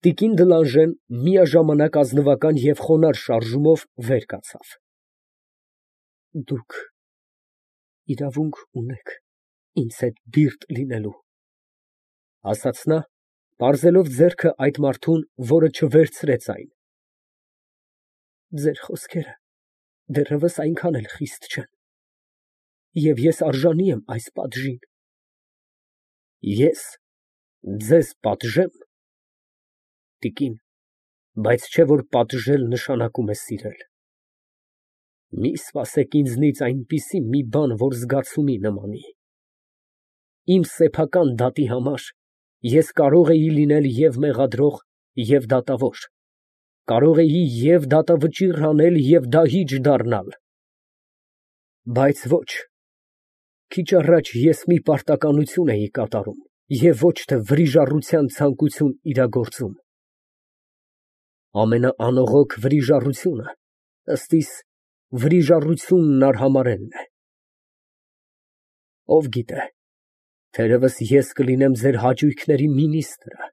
Տիկին Դլանժեն միաժամանակ ազնվական և խոնարհ շարժումով վեր կացավ։ Դուք իրավունք ունեք ինձ հետ բիրտ լինելու, ասաց նա, պարզելով ձեռքը այդ մարդուն, որը չվերցրեց այն։ Ձեր խոսքերը դեռևս այնքան էլ խիստ չեն, և ես արժանի եմ այս պատժին։ Ես ձեզ պատժեմ։ Տիկին, բայց չէ՞ որ պատժել նշանակում է սիրել։ Մի սպասեք ինձնից այնպիսի մի բան, որ զգացումի նմանի։ Իմ սեփական դատի համար ես կարող էի լինել և մեղադրող, և դատավոր, կարող էի և դատավճիռ անել, և դահիճ դառնալ, բայց ոչ, քիչ առաջ ես մի պարտականություն էի կատարում և ոչ թե վրիժառության ցանկություն իրագործում։ Ամենաանողոք վրիժառությունը, ըստ իս, վրիժառությունն արհամարհելն է։ Ով գիտե, թերևս ես կլինեմ ձեր հաճույքների մինիստրը,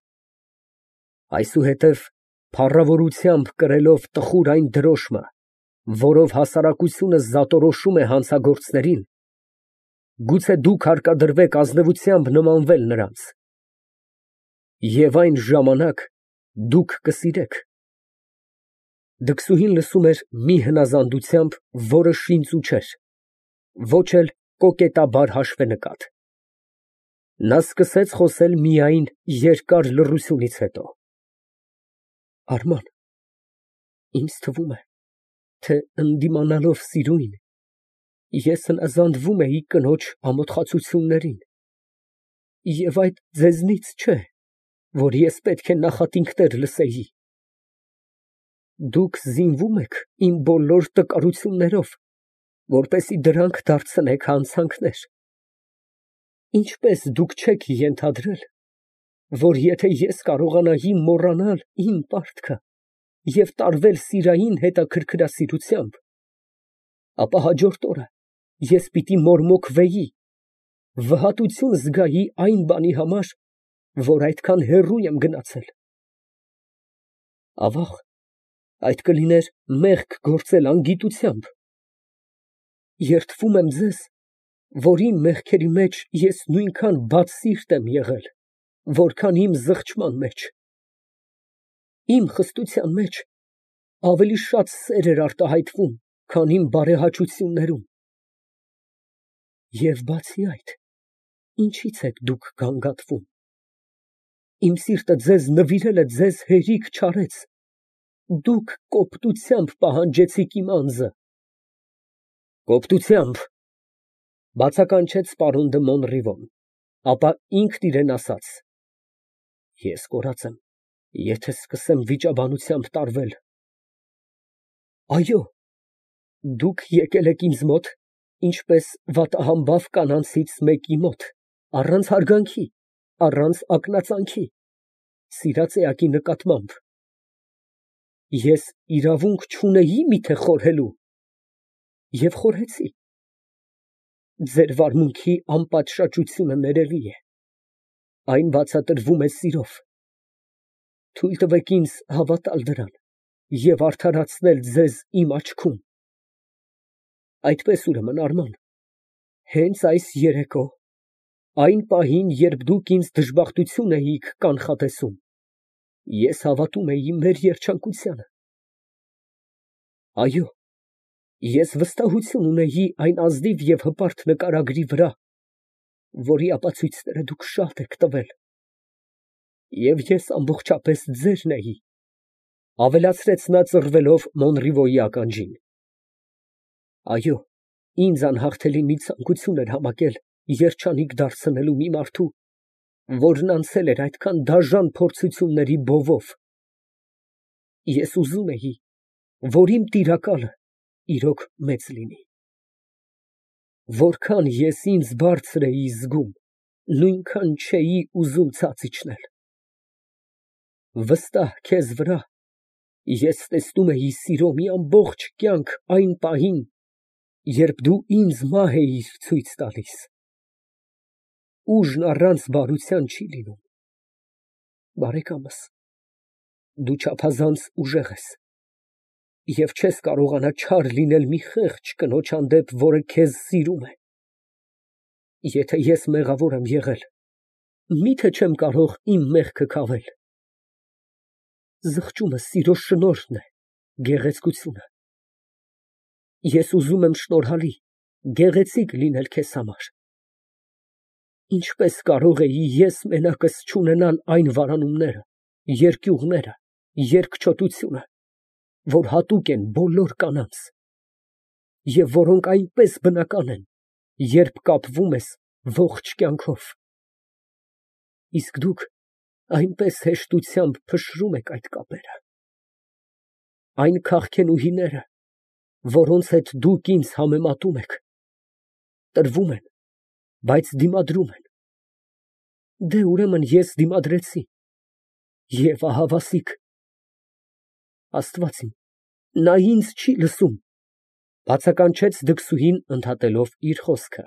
այսուհետև փառավորությամբ կրելով տխուր այն դրոշմը, որով հասարակությունը զատորոշում է հանցագործներին, գուցե դուք հարկադրվեք ազնվությամբ նմանվել նրանց, և այն ժամանակ դուք կսիրեք։ Դքսուհին լսում էր մի հնազանդությամբ, որը շինծու չէր, ոչ էլ կոկետաբար հաշվենկատ։ Նա սկսեց խոսել միայն երկար լռությունից հետո։ Արման, ինձ թվում է, թե ընդդիմանալով սիրույն, ես հնազանդվում էի կնոջ ամոթխածություններին, և այդ ձեզնից չէ, որ ես պետք է նախատինքներ լսեի։ Դուք զինվում եք իմ բոլոր տկարություններով, որպեսզի դրանք դարձնեք հանցանքներ։ Ինչպե՞ս դուք չեք ենթադրել, որ եթե ես կարողանայի մոռանալ իմ պարտքը և տարվել սիրային հետաքրքրասիրությամբ, ապա հաջորդ օրը ես պիտի մորմոքվեի, վհատություն զգայի այն բանի համար, որ այդքան հեռու եմ գնացել։ Ավաղ, այդ կլիներ մեղք գործել անգիտությամբ։ Երդվում եմ ձեզ, որ իմ մեղքերի մեջ ես նույնքան բացսիրտ եմ եղել, որքան իմ զղջման մեջ։ Իմ խստության մեջ ավելի շատ սեր էր արտահայտվում, քան իմ բարեհաճություններում։ Եվ բացի այդ, ինչի՞ց եք դուք գանգատվում։ Իմ սիրտը ձեզ նվիրել է ձեզ հերիք չարեց, դուք կոպտությամբ պահանջեցիք իմ անձը։ Կոպտությամբ, բացականչեց պարոն դը Մոնրիվոն, ապա ինքն իրան ասաց. Ես կորած եմ, եթե սկսեմ վիճաբանությամբ տարվել։ Այո, դուք եկել եք ինձ մոտ, ինչպես վատահամբավ կանանցից մեկի մոտ, առանց հարգանքի, առանց ակնածանքի, սիրած էակի նկատմամբ։ Ես իրավունք չունեի միթե խորհելու, և խորհեցի։ Ձեր վարմունքի անպատշաճությունը ներելի է, այն բացատրվում է սիրով։ Թույլ տվեք ինձ հավատալ դրան և արդարացնել ձեզ իմ աչքում։ Այդպես ուրեմն, Արման, հենց այս երեկո, այն պահին, երբ դուք ինձ դժբախտություն էիք կանխատեսում, ես հավատում էի մեր երջանկությանը։ Այո, ես վստահություն ունեի այն ազնիվ և հպարտ նկարագրի վրա, որի ապացույցները դուք շատ եք տվել։ Եվ ես ամբողջապես ձերն էի, ավելացրեց նա ծռվելով Մոնրիվոյի ականջին։ Այո, ինձ անհաղթելի մի ցանկություն էր համակել երջանիկ դարձնելու մի մարդու, որն անցել էր այդքան դաժան փորձությունների բովով։ Ես ուզում էի, որ իմ տիրակալը իրոք մեծ լինի։ Որքան ես ինձ բարձր էի զգում, նույնքան չէի ուզում ցած իջնել։ Վստահ քեզ վրա, ես տեսնում էի սիրո մի ամբողջ կյանք այն պահին, երբ դու ինձ մահ էիր ցույց տալիս։ Ուժն առանց բարության չի լինում։ Բարեկամս, Դու չափազանց ուժեղ ես և չես կարողանա չար լինել մի խեղճ կնոջ հանդեպ, որը քեզ սիրում է։ Եթե ես մեղավոր եմ եղել, մի՞թե չեմ կարող իմ մեղքը քավել։ Զղջումը սիրո շնորհն է, գեղեցկությունը։ Ես ուզում եմ շնորհալի, գեղեցիկ լինել քեզ համար։ Ինչպես կարող էի ես մենակս չունենալ այն վարանումները, երկյուղները, երկչոտությունը, որ հատուկ են բոլոր կանանց, և որոնք այնպես բնական են, երբ կապվում ես ողջ կյանքով։ Իսկ դուք այնպես հեշտությամբ փշրում եք այդ կապերը։ Այն քաղքենուհիները, որոնց հետ դուք ինձ համեմատում եք, տրվում են, բայց դիմադրում են։ Դե, ուրեմն ես դիմադրեցի, և ահավասիկ։ Աստված իմ, նա ինձ չի լսում, բացականչեց դքսուհին, ընդհատելով իր խոսքը։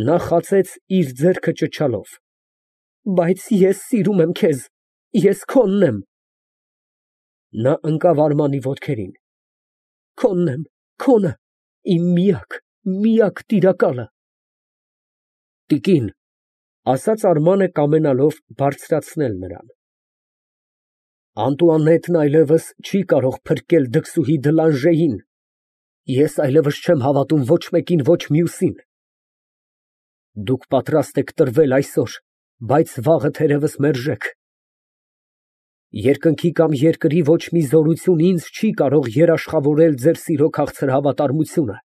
Նա խացեց իր ձեռքը ճչալով. Բայց ես սիրում եմ քեզ, ես քոնն եմ։ Նա ընկավ Արմանի ոտքերին. Քոնն եմ, քոնը, իմ միակ տիրակալը։ Տիկին, ասաց Արմանը, կամենալով բարձրացնել նրան, Անտուանետն այլևս չի կարող փրկել դքսուհի Դլանժեին, ես այլևս չեմ հավատում ոչ մեկին, ոչ մյուսին։ Դուք պատրաստ եք տրվել այսօր, բայց վաղը թերևս մերժեք։ Երկնքի կամ երկրի ոչ մի զորություն ինձ չի կարող երաշխավորել ձեր սիրո քաղցր հավատարմությունը։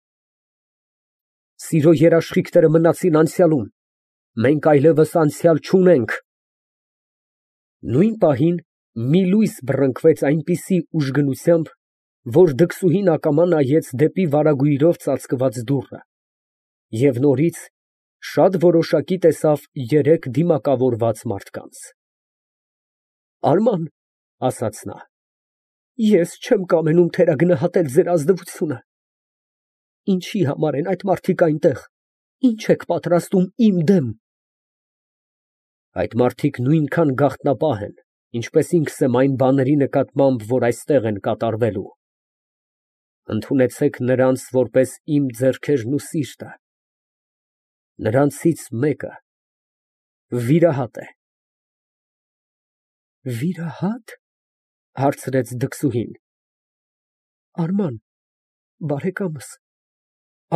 Սիրո երաշխիքները մնացին անցյալում, մենք այլևս անցյալ չունենք։ Նույն պահին մի լույս բռնկվեց այնպիսի ուժգնությամբ, որ դքսուհին ակամա նայեց դեպի վարագույրով ծածկված դուռը և նորից շատ որոշակի տեսավ երեք դիմակավորված մարդկանց։ Արման, ասաց նա, ես չեմ կամենում թերագնահատել ձեր ազնվությունը։ Ինչի համար են այդ մարդիկ այնտեղ, ինչ եք պատրաստում իմ դեմ։ Այդ մարդիկ նույնքան գաղտնապահ են, ինչպես ինքս եմ այն բաների նկատմամբ, որ այստեղ են կատարվելու։ Ընդունեցեք նրանց որպես իմ ձեռքերն ու սիրտը։ Նրանցից մեկը վիրահատ է։ Վիրահա՞տ, հարցրեց դքսուհին։ Արման, բարեկամս,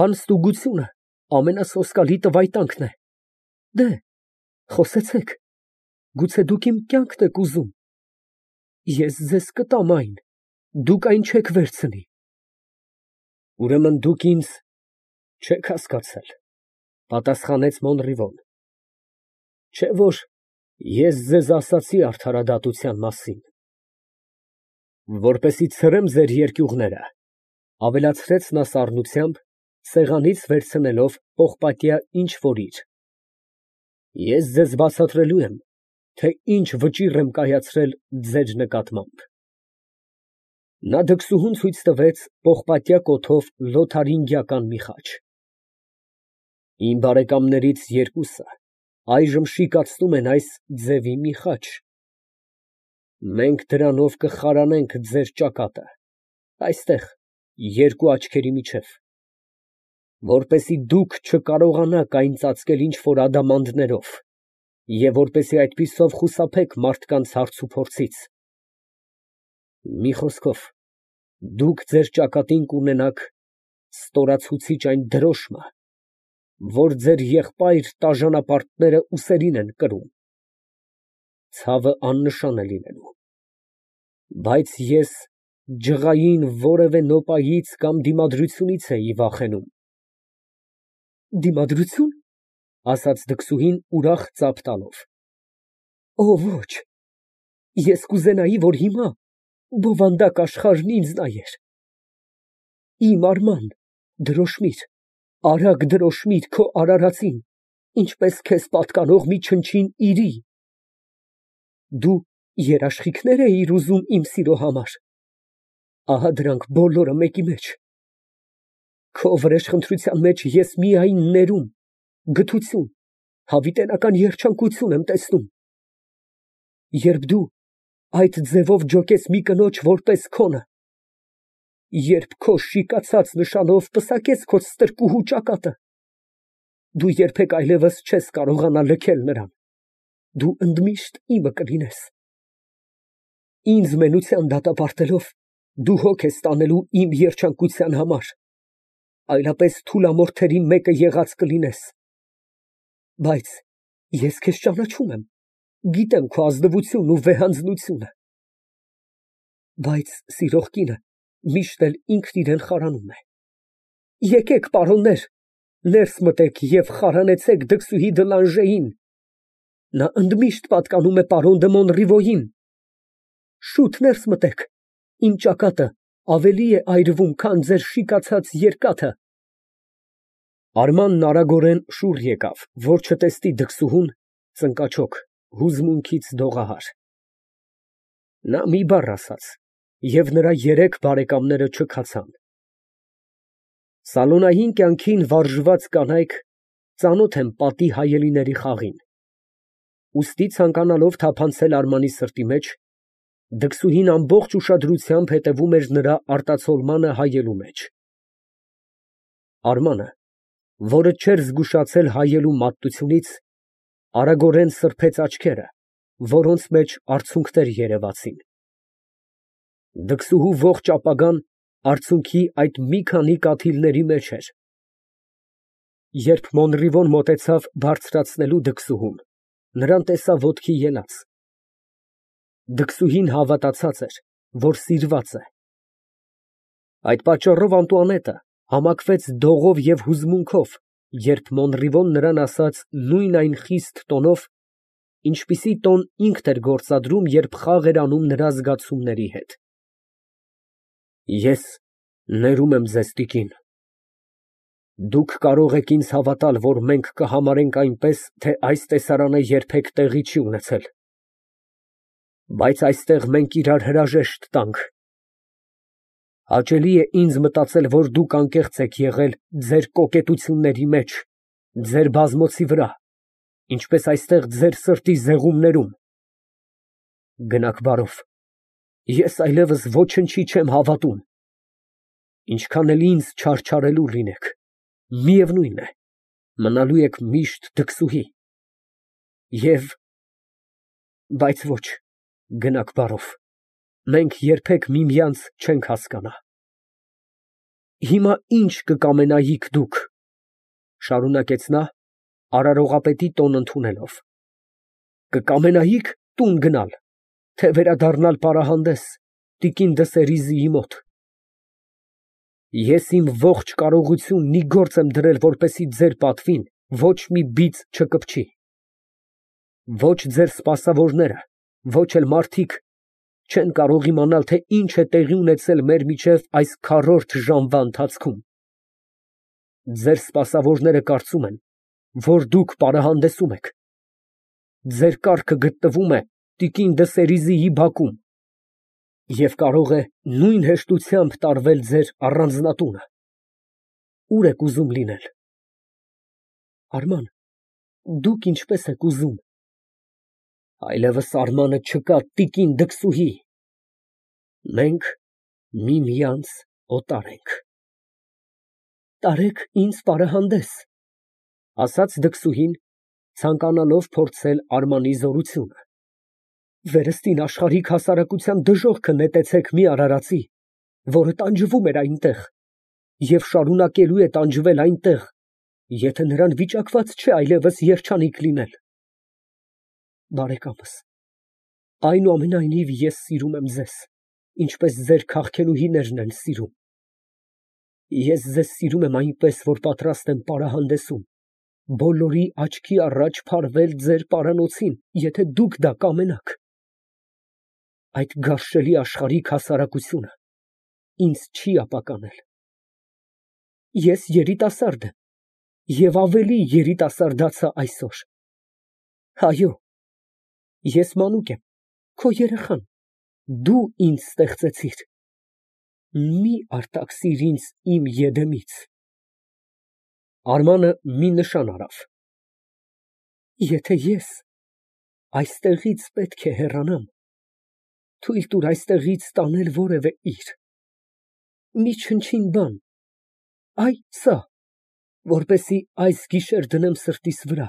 անստուգությունը ամենասոսկալի տվայտանքն է։ Դե, խոսեցեք, գուցե դուք իմ կյանքն եք ուզում։ Ես ձեզ կտամ այն, դուք այն չեք վերցնի։ Ուրեմն դուք ինձ չեք հասկացել, պատասխանեց Մոնրիվոն։ Չէ՞ որ ես ձեզ ասացի արդարադատության մասին։ Որպեսզի ցրեմ ձեր երկյուղները, ավելացրեց նա սառնությամբ, սեղանից վերցնելով պողպատյա ինչ֊որ իր։ Ես ձեզ բացատրելու եմ, թե ինչ վճիռ եմ կայացրել ձեր նկատմամբ։ Նա դքսուհուն ցույց տվեց պողպատյա կոթով լոթարինգիական մի խաչ։ Իմ բարեկամներից երկուսը այժմ շիկացնում են այս ձևի մի խաչ։ Մենք դրանով կխարանենք ձեր ճակատը, այստեղ, երկու աչքերի միջև, որպեսզի դուք չկարողանաք այն ծածկել ինչ֊որ ադամանդներով և որպեսզի այդպիսով խուսափեք մարդկանց հարցուփորձից։ Մի խոսքով, դուք ձեր ճակատին կունենաք ստորացուցիչ այն դրոշմը, որ ձեր եղբայր տաժանապարտները ուսերին են կրում։ Ցավը աննշան է լինելու։ Բայց ես ջղային որևէ նոպայից կամ դիմադրությունից էի վախենում։ Դիմադրություն, ասաց դքսուհին ուրախ ծափ տալով։ Ոչ, ես կուզենայի, որ հիմա բովանդակ աշխարհն ինձ նայեր։ Իմ Արման, դրոշմիր, արագ դրոշմիր քո արարածին, ինչպես քեզ պատկանող մի չնչին իրի։ Դու երաշխիքնե՞ր էիր ուզում իմ սիրո համար։ Ահա դրանք բոլորը մեկի մեջ։ Քո վրեժխնդրության մեջ ես միայն ներում, գթություն, հավիտենական երջանկություն եմ տեսնում։ Երբ դու այդ ձևով ջոկես մի կնոջ որպես քոնը, երբ քո շիկացած նշանով պսակեց քո ստրկուհու ճակատը, դու երբեք այլևս չես կարողանա լքել նրան, դու ընդմիշտ իմը կլինես։ Ինձ մենության դատապարտելով, դու հոգ ես տանելու իմ երջանկության համար, այլապես թուլամորթերի մեկը եղած կլինես։ Բայց ես քեզ ճանաչում եմ, գիտեմ քո ազնվությունն ու վեհանձնությունը։ Բայց սիրող կինը միշտ էլ ինքն իրան խարանում է։ Եկեք, պարոններ, ներս մտեք և խարանեցեք դքսուհի Դլանժեին, նա ընդմիշտ պատկանում է պարոն դը Մոնրիվոյին։ Շուտ ներս մտեք, իմ ճակատը ավելի է այրվում, քան ձեր շիկացած երկաթը։ Արմանն արագորեն շուռ եկավ, որ չտեսնի դքսուհուն, ծնկաչոք, հուզմունքից դողահար։ Նա մի բառ ասաց, և նրա երեք բարեկամները չքացան։ Սալոնային կյանքին վարժված կանայք ծանոթ են պատի հայելիների խաղին։ Ուստի ցանկանալով թափանցել Արմանի սրտի մեջ, դքսուհին ամբողջ ուշադրությամբ հետևում էր նրա արտացոլմանը հայելու մեջ։ Արմանը, որը չէր զգուշացել հայելու մատտությունից, արագորեն սրբեց աչքերը, որոնց մեջ արցունքներ երևացին։ Դքսուհու ողջ ապագան արցունքի այդ մի քանի կաթիլների մեջ էր։ Երբ Մոնրիվոն մոտեցավ բարձրացնելու դքսուհուն, նրան տեսա ոտքի ելած։ Դքսուհին հավատացած էր, որ սիրված է։ Այդ պատճառով Անտուանետը համակվեց դողով և հուզմունքով, երբ Մոնրիվոն նրան ասաց նույն այն խիստ տոնով, ինչպիսի տոն ինքն էր գործադրում, երբ խաղ էր անում նրա զգացումների հետ։ Ես ներում եմ ձեզ, տիկին։ Դուք կարող եք ինձ հավատալ, որ մենք կհամարենք այնպես, թե այս տեսարանը երբեք տեղի չի ունեցել, բայց այստեղ մենք իրար հրաժեշտ տանք։ Հաճելի է ինձ մտածել, որ դուք անկեղծ եք եղել ձեր կոկետությունների մեջ, ձեր բազմոցի վրա, ինչպես այստեղ ձեր սրտի զեղումներում։ Գնաք բարով, ես այլևս ոչնչի չեմ հավատում, ինչքան էլ ինձ չարչարելու լինեք, միևնույն է, մնալու եք միշտ դքսուհի, բայց ոչ, գնաք բարով, մենք երբեք միմյանց չենք հասկանա։ Հիմա ինչ կկամենայիք դուք, շարունակեց նա, արարողապետի տոն ընդունելով, կկամենայիք տուն գնալ, թե վերադառնալ պարահանդես տիկին Դսերիզիի մոտ։ Ես իմ ողջ կարողությունն մի գործ եմ դրել, որպեսզի ձեր պատվին ոչ մի բիծ չկպչի։ Ոչ ձեր սպասավորները, ոչ էլ մարդիկ չեն կարող իմանալ, թե ինչ է տեղի ունեցել մեր միջև այս քառորդ ժամվա ընթացքում։ Ձեր սպասավորները կարծում են, որ դուք պարահանդեսում եք։ Ձեր կառքը գտնվում է տիկին Դսերիզիի բակում և կարող է նույն հեշտությամբ տարվել ձեր առանձնատունը։ Ո՞ւր եք ուզում լինել։ Արման, դուք ինչպես եք ուզում։ Այլևս Արմանը չկա, տիկին դքսուհի։ Մենք միմյանց օտար ենք։ Տարեք ինձ պարահանդես, ասաց դքսուհին, ցանկանալով փորձել Արմանի զորությունը։ Վերստին աշխարհիկ հասարակության դժոխքը նետեցեք մի արարածի, որը տանջվում էր այնտեղ և շարունակելու է տանջվել այնտեղ, եթե նրան վիճակված չէ այլևս երջանիկ լինել։ Բարեկամս, այնուամենայնիվ ես սիրում եմ ձեզ, ինչպես ձեր քաղցելուհիներն են սիրում։ Ես ձեզ սիրում եմ այնպես, որ պատրաստ եմ պարահանդեսում բոլորի աչքի առաջ փարվել ձեր պարանոցին, եթե դուք դա կամենաք։ Այդ գարշելի աշխարհիկ հասարակությունը ինձ չի ապականել։ Ես երիտասարդ եմ և ավելի երիտասարդացա այսօր։ Այո, ես մանուկ եմ, քո երեխան, դու ինձ ստեղծեցիր։ Մի արտաքսիր ինձ իմ եդեմից։ Արմանը մի նշան արավ։ Եթե ես այստեղից պետք է հեռանամ, Թույլ տուր այստեղից տանել որևէ իր։ Մի չնչին բան, այ սա, որպեսզի այս գիշեր դնեմ սրտիս վրա,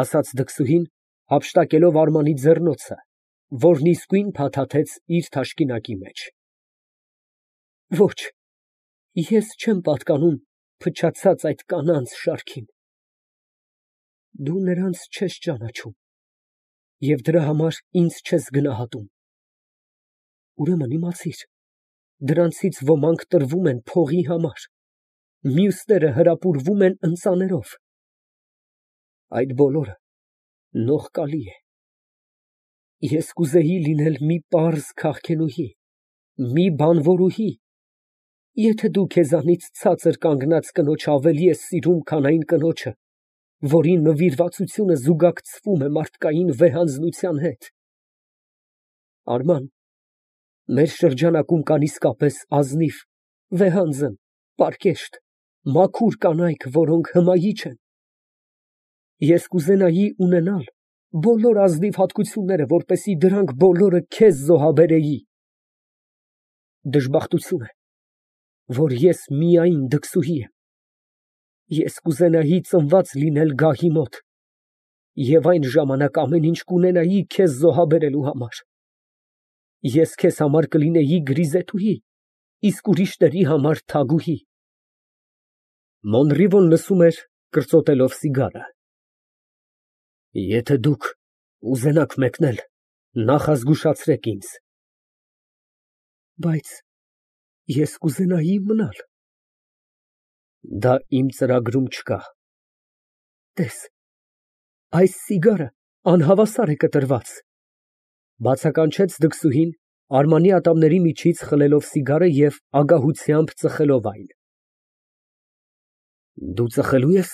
ասաց դքսուհին, հափշտակելով Արմանի ձեռնոցը, որն իսկույն փաթաթեց իր թաշկինակի մեջ։ Ոչ, ես չեմ պատկանում փչացած այդ կանանց շարքին։ Դու նրանց չես ճանաչում և դրա համար ինձ չես գնահատում։ Ուրեմն իմացիր, դրանցից ոմանք տրվում են փողի համար, մյուսները հրապուրվում են ընծաներով։ Այդ բոլորը նողկալի է։ Ես կուզեի լինել մի պարզ քաղքենուհի, մի բանվորուհի, եթե դու քեզանից ցածր կանգնած կնոջ ավելի ես սիրում, քան այն կնոջը, որի նվիրվածությունը զուգակցվում է մարդկային վեհանձնության հետ։ Արման, մեր շրջանակում կան իսկապես ազնիվ, վեհանձն, պարկեշտ, մաքուր կանայք, որոնք հմայիչ են։ Ես կուզենայի ունենալ բոլոր ազնիվ հատկությունները, որպեսզի դրանք բոլորը քեզ զոհաբերեի։ Դժբախտություն է, որ ես միայն դքսուհի եմ։ Ես կուզենայի ծնված լինել գահի մոտ և այն ժամանակ ամեն ինչ կունենայի քեզ զոհաբերելու համար։ Ես քեզ համար կլինեի գրիզետուհի, իսկ ուրիշների համար թագուհի։ Մոնրիվոն լսում էր, կրծոտելով սիգարը։ Եթե դուք ուզենաք մեկնել, նախազգուշացրեք ինձ։ Բայց ես կուզենայի մնալ։ Դա իմ ծրագրում չկա։ Տես, այս սիգարը անհավասար է կտրված, բացականչեց դքսուհին, Արմանի ատամների միջից խլելով սիգարը և ագահությամբ ծխելով այն։ Դու ծխելու ես,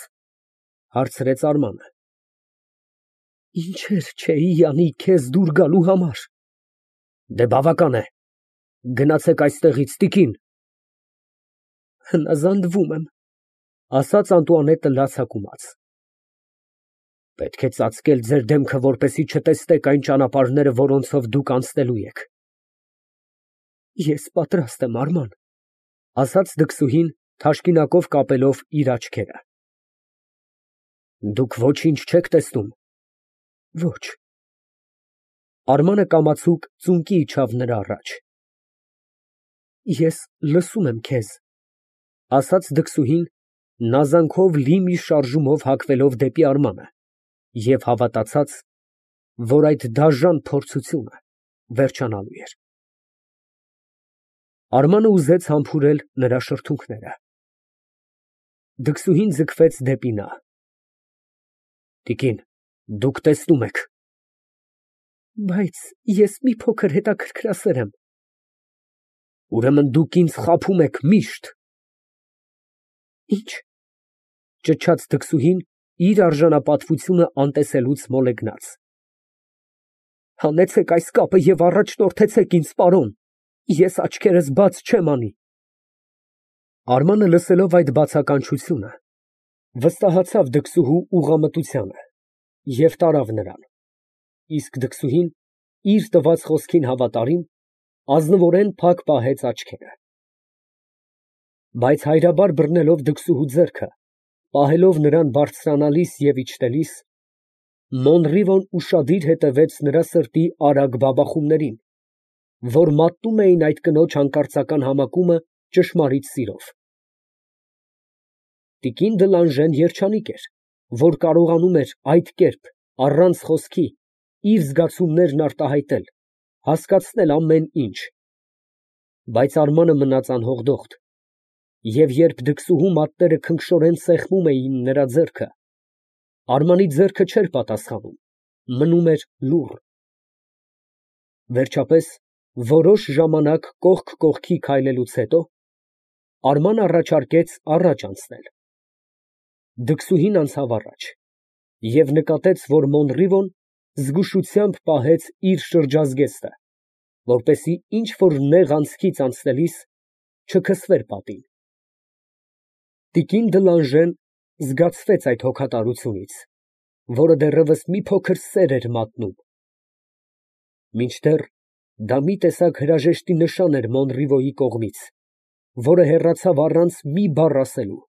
հարցրեց Արմանը։ Ինչեր չէի անի քեզ դուր գալու համար։ Դե բավական է, գնացեք այստեղից, տիկին։ Հնազանդվում եմ, ասաց Անտուանետը լացակումած։ Պետք է ծածկել ձեր դեմքը, որպեսզի չտեսնեք այն ճանապարհները, որոնցով դուք անցնելու եք։ Ես պատրաստ եմ, Արման, ասաց դքսուհին, թաշկինակով կապելով իր աչքերը։ Դուք ոչինչ չեք տեսնում։ Ոչ։ Արմանը կամացուկ ծունկի իջավ նրա առաջ։ Ես լսում եմ քեզ, ասաց դքսուհին, նազանքով լի մի շարժումով հագվելով դեպի Արմանը և հավատացած, որ այդ դաժան փորձությունը վերջանալու էր։ Արմանը ուզեց համբուրել նրա շրթունքները։ Դքսուհին ձգվեց դեպի նա։ Տիկին, դուք տեսնում եք։ Բայց ես մի փոքր հետաքրքրասեր եմ։ Ուրեմն դուք ինձ խաբում եք միշտ։ Ինչ։ Ճչաց դքսուհին, իր արժանապատվությունը անտեսելուց մոլեգնած։ Հանեցեք այս կապը և առաջնորդեցեք ինձ, պարոն, ես աչքերս բաց չեմ անի։ Արմանը լսելով այդ բացականչությունը, վստահացավ դքսուհու ուղղամտությանը և տարավ նրան, իսկ դքսուհին, իր տված խոսքին հավատարիմ, ազնվորեն փակ պահեց աչքերը։ Բայց հայրաբար բռնելով դքսուհու ձեռքը, պահելով նրան բարձրանալիս և իջնելիս, Մոնրիվոն ուշադիր հետևեց նրա սրտի արագ բաբախումներին, որ մատնում էին այդ կնոջ հանկարծական համակումը ճշմարիտ սիրով։ Տիկին Դլանժեն երջանիկ էր, որ կարողանում էր այդ կերպ, առանց խոսքի, իր զգացումներն արտահայտել, հասկացնել ամեն ինչ։ Բայց Արմանը մնաց անհոգդոխտ, և երբ դքսուհու մատները քնքշորեն սեղմում էին նրա ձեռքը, Արմանի ձեռքը չէր պատասխանում, մնում էր լուռ։ Վերջապես, որոշ ժամանակ կողք կողքի քայլելուց հետո, Արմանը առաջարկեց առաջ անցնել։ Դքսուհին անցավ առաջ և նկատեց, որ Մոնրիվոն զգուշությամբ պահեց իր շրջազգեստը, որպեսզի ինչ֊որ նեղ անցքից անցնելիս չքսվեր պատին։ Տիկին Դլանժեն զգացվեց այդ հոգատարությունից, որը դեռևս մի փոքր սեր էր մատնում։ Մինչդեռ Դա մի տեսակ հրաժեշտի նշան էր Մոնրիվոյի կողմից, որը հեռացավ առանց մի բառ ասելու։